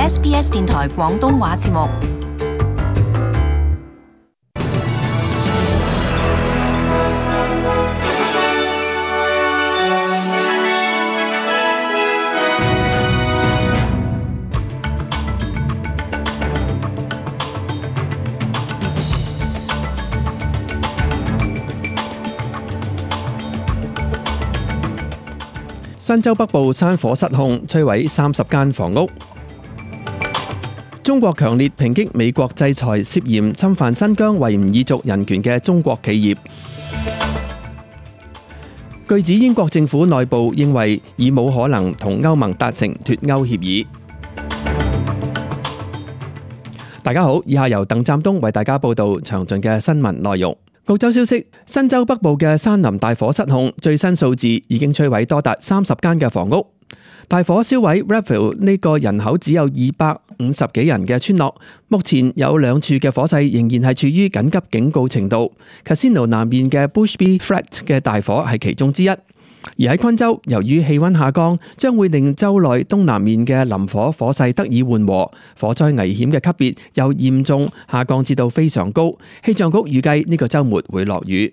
SBS 電台廣東話節目。新州北部山火失控，摧毀30間房屋。中國強烈抨擊美國制裁涉嫌侵犯新疆維吾爾族人權嘅中國企業。據指英國政府內部認為已冇可能同歐盟達成脫歐協議。大家好，以下由鄧湛東為大家報道詳盡嘅新聞內容。澳洲消息，新州北部嘅山林大火失控，最新數字已經摧毀多達30間嘅房屋。大火燒毀 Redfield 呢個人口只有250幾人嘅村落，目前有2處嘅火勢仍然係處於緊急警告程度。Casino 南面嘅 Bushby Flat 嘅大火係其中之一。而喺昆州，由於氣溫下降，將會令州內東南面嘅林火火勢得以緩和，火災危險嘅級別由嚴重下降至到非常高。氣象局預計呢個週末會落雨。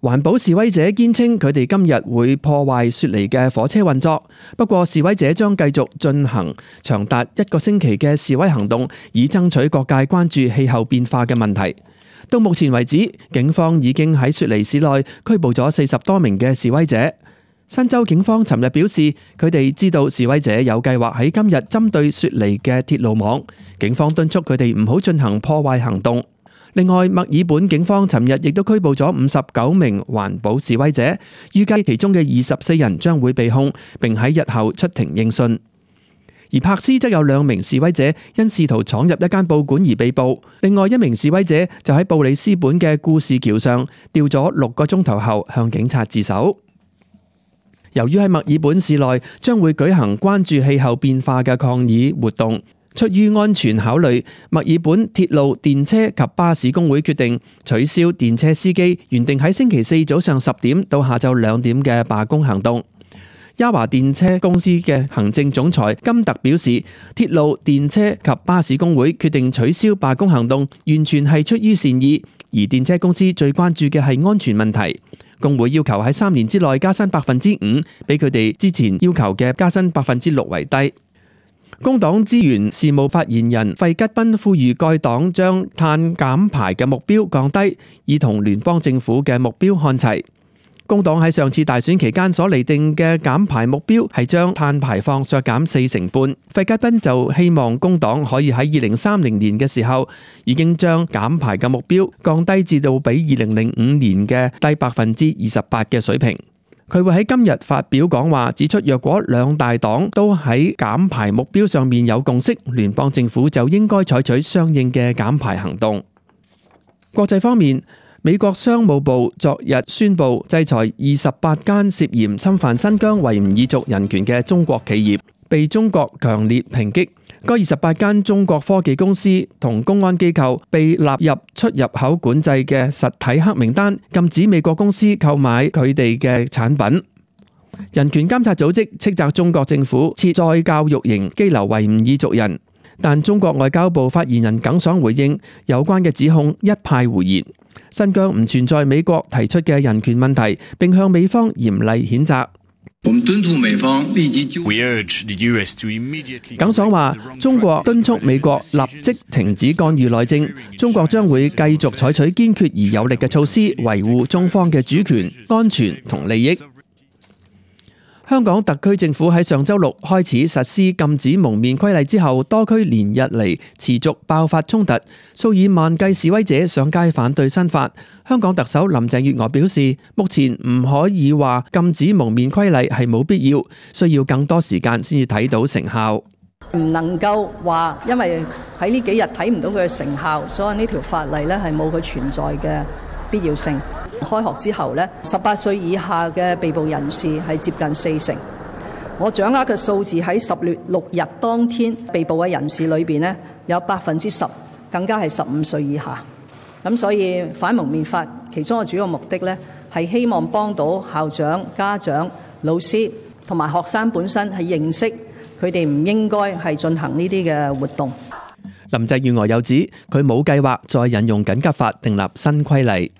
環保示威者堅稱佢哋今日會破壞雪梨嘅火車運作，不過示威者將繼續進行長達1個星期嘅示威行動，以爭取各界關注氣候變化嘅問題。到目前為止，警方已經喺雪梨市內拘捕咗40多名嘅示威者。新州警方尋日表示，佢哋知道示威者有計劃喺今日針對雪梨嘅鐵路網，警方敦促佢哋唔好進行破壞行動。另外，墨爾本警方尋日亦都拘捕咗59名環保示威者，預計其中嘅24人將會被控，並喺日後出庭應訊。而柏斯則有2名示威者因試圖闖入一間報館而被捕，另外1名示威者就喺布里斯本嘅故事橋上吊咗6個鐘頭後向警察自首。由於喺墨爾本市內將會舉行關注氣候變化嘅抗議活動，出於安全考慮，墨爾本鐵路、電車及巴士工會決定取消電車司機原定喺星期4早上10點到下晝2點嘅罷工行動。嘉華電車公司嘅行政總裁金特表示，鐵路、電車及巴士工會決定取消罷工行動，完全係出於善意。而電車公司最關注嘅係安全問題。工會要求喺3年之內加薪 5%， 比佢哋之前要求嘅加薪 6% 為低。工黨資源事務發言人費吉賓呼籲該黨將碳減排嘅目標降低，以同聯邦政府嘅目標看齊。工黨喺上次大選期間所釐定嘅減排目標係將碳排放削減4成半。費吉賓就希望工黨可以喺2030年嘅時候已經將減排嘅目標降低至到比2005年嘅低 28% 嘅水平。佢會喺今日發表講話，指出若果2大黨都喺減排目標上面有共識，聯邦政府就應該採取相應嘅減排行動。國際方面，美國商務部昨日宣布制裁28間涉嫌侵犯新疆維吾爾族人權嘅中國企業，被中國強烈抨擊。該28間中國科技公司同公安機構被納入出入口管制嘅實體黑名單，禁止美國公司購買佢哋嘅產品。人權監察組織斥責中國政府設再教育營羈留維吾爾族人，但中國外交部發言人耿爽回應有關嘅指控一派胡言。新疆唔存在美國提出嘅人權問題，並向美方嚴厲譴責。我們敦促美方立即就。耿爽話：中國敦促美國立即停止干預內政，中國將會繼續採取堅決而有力嘅措施，維護中方嘅主權、安全同利益。香港特區政府喺上週6開始實施禁止蒙面規例之後，多區連日嚟持續爆發衝突，數以萬計示威者上街反對新法。香港特首林鄭月娥表示，目前唔可以話禁止蒙面規例係冇必要，需要更多時間先至睇到成效。唔能夠話因為喺呢幾日睇唔到佢嘅成效，所以呢條法例呢係冇佢存在嘅必要性。開學之後呢，18歲以下嘅被捕人士係接近40%。我掌握嘅數字喺10月6日當天被捕嘅人士裏邊呢，有10%更加係15歲以下。咁所以反蒙面法其中嘅主要目的呢，係希望幫到校長、家長、老師同埋學生本身係認識佢哋唔應該係進行呢啲嘅活動。林鄭月娥又指，佢冇計劃再引用緊急法訂立新規例。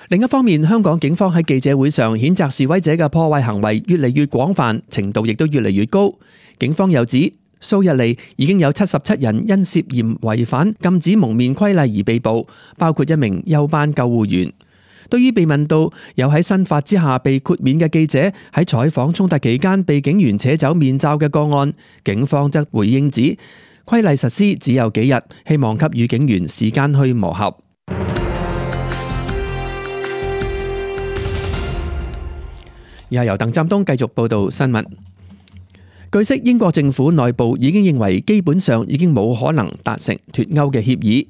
另一方面，香港警方喺記者會上譴責示威者嘅破壞行為越嚟越廣泛，程度亦都越嚟越高。警方又指，數日嚟已經有77人因涉嫌違反禁止蒙面規例而被捕，包括一名休班救護員。對於被問到有喺新法之下被豁免嘅記者喺採訪衝突期間被警員扯走面罩嘅個案，警方則回應指，規例實施只有幾日，希望給予警員時間去磨合。以下由鄧湛東繼續報道新聞。據悉，英國政府內部已經認為基本上已經冇可能達成脫歐嘅協議。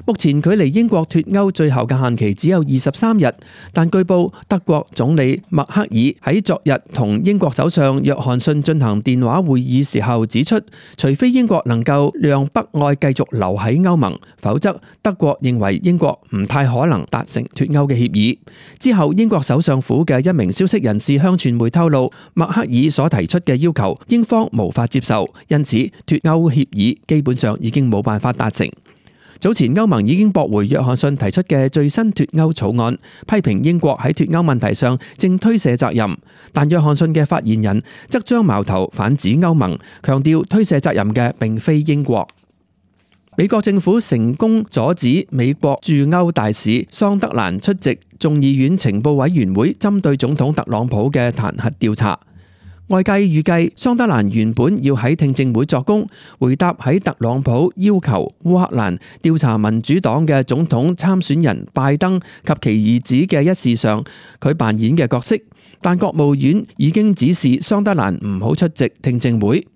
目前距離英國脫歐最後嘅限期只有23日，但據報德國總理默克爾喺昨日同英國首相約翰遜進行電話會議時候指出，除非英國能夠讓北愛繼續留喺歐盟，否則德國認為英國唔太可能達成脫歐嘅協議。之後，英國首相府嘅一名消息人士向傳媒透露，默克爾所提出嘅要求，英方無法接受，因此脫歐協議基本上已經冇辦法達成。早前歐盟已經駁回約翰遜提出嘅最新脫歐草案，批評英國喺脫歐問題上正推卸責任，但約翰遜嘅發言人則將矛頭反指歐盟，強調推卸責任嘅並非英國。美國政府成功阻止美國駐歐大使桑德蘭出席眾議院情報委員會針對總統特朗普嘅彈劾調查。外界預計桑德蘭原本要喺聽證會作供，回答喺特朗普要求烏克蘭調查民主黨嘅總統參選人拜登及其兒子嘅一事上，佢扮演嘅角色。但國務院已經指示桑德蘭唔好出席聽證會。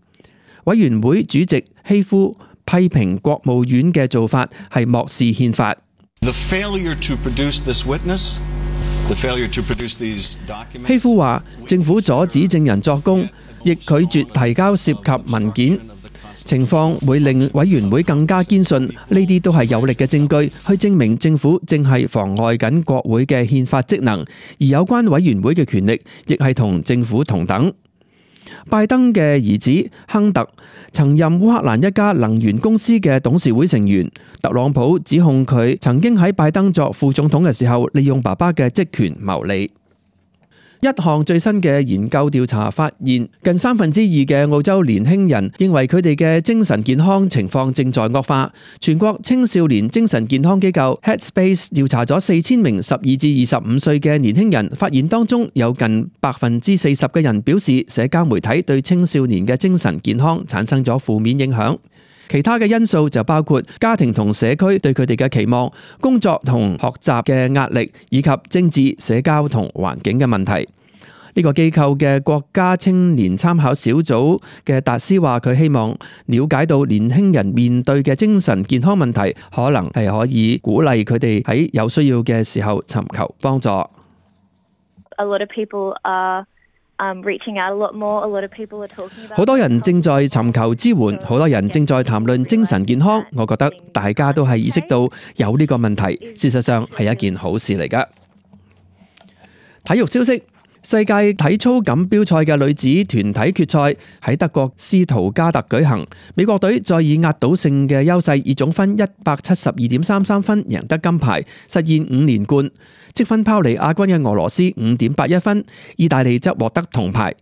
委員會主席希夫批評國務院嘅做法係漠視憲法。希夫話，政府阻止證人作供，亦拒絕提交涉及文件，情況會令委員會更加堅信呢啲都係有力嘅證據，去證明政府正係妨礙緊國會嘅憲法職能，而有關委員會嘅權力亦係同政府同等。拜登嘅兒子亨特曾任烏克蘭一家能源公司嘅董事會成員，特朗普指控佢曾經喺拜登作副總統嘅時候利用爸爸嘅職權牟利。一項最新嘅研究調查發現，近2/3嘅澳洲年輕人認為佢哋嘅精神健康情況正在惡化。全國青少年精神健康機構 Headspace 調查咗4000名12至25歲嘅年輕人，發現當中有近40%嘅人表示社交媒體對青少年嘅精神健康產生咗負面影響。其他嘅因素就包括家庭同社區對佢哋嘅期望、工作同學習嘅壓力，以及政治、社交同環境嘅問題。呢個機構嘅國家青年參考小組嘅達斯話，佢希望了解到年輕人面對嘅精神健康問題，可能係可以鼓勵佢哋喺有需要嘅時候尋求幫助。好多人正在尋求支援，好多人正在談論精神健康。我覺得大家都係意識到有呢個問題，事實上係一件好事嚟㗎。體育消息：世界體操錦標賽嘅女子團體決賽喺德國斯圖加特舉行，美國隊再以壓倒性嘅優勢，以總分172.33分贏得金牌，實現5連冠。積分拋離亞軍嘅俄羅斯5.81分，意大利則獲得銅牌。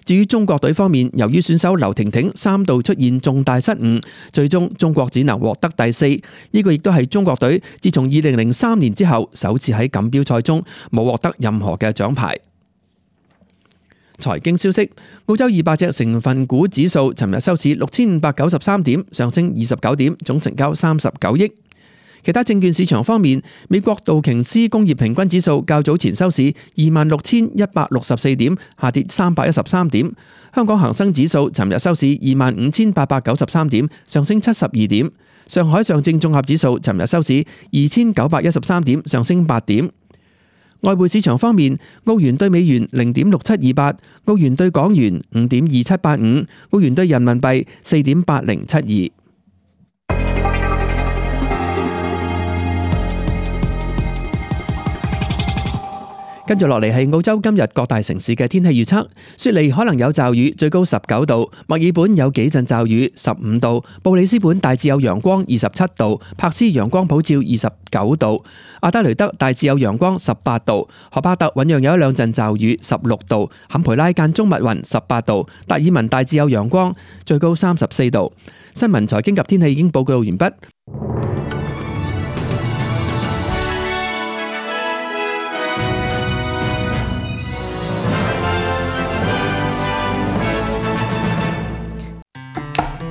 至於中國隊方面，由於選手劉婷婷3度出現重大失誤，最終中國只能獲得第4。呢個亦都係中國隊自從2003年之後首次喺錦標賽中冇獲得任何嘅獎牌。財經消息：澳洲200隻成分股指數尋日收市6593點，上升29點，總成交39億。其他證券市場方面，美國道瓊斯工業平均指數較早前收市26,164點，下跌313點。香港恒生指數尋日收市25,893點，上升72點。上海上證綜合指數尋日收市2,913點，上升8點。外匯市場方面，澳元對美元0.6728，澳元對港元5.2785，澳元對人民幣4.8072。跟住落嚟係澳洲今日各大城市嘅天氣預測，雪梨可能有驟雨，最高19度；墨爾本有幾陣驟雨，15度；布里斯本大致有陽光，27度；柏斯陽光普照，29度；阿德雷德大致有陽光，18度；荷巴特醞釀有一兩陣驟雨，16度；坎培拉間中密雲，18度；達爾文大致有陽光，最高34度。新聞、財經及天氣已經報告完畢。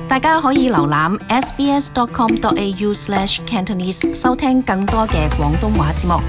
大家可以瀏覽 sbs.com.au/cantonese 收聽更多嘅廣東話節目。